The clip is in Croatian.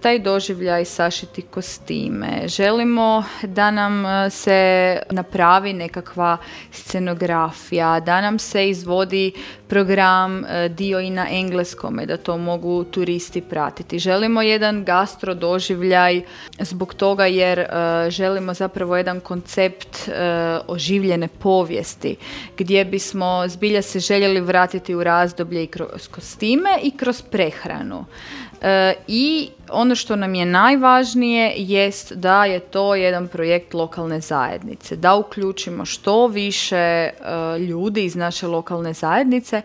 taj doživljaj sašiti kostime, želimo da nam se napravi nekakva scenografija, da nam se izvodi program, dio i na engleskome, da to mogu turisti pratiti. Želimo jedan gastro doživljaj zbog toga jer želimo zapravo jedan koncept oživljene povijesti gdje bismo zbilja se željeli vratiti u razdoblje i kroz kostime i kroz prehranu. I ono što nam je najvažnije jest da je to jedan projekt lokalne zajednice, da uključimo što više ljudi iz naše lokalne zajednice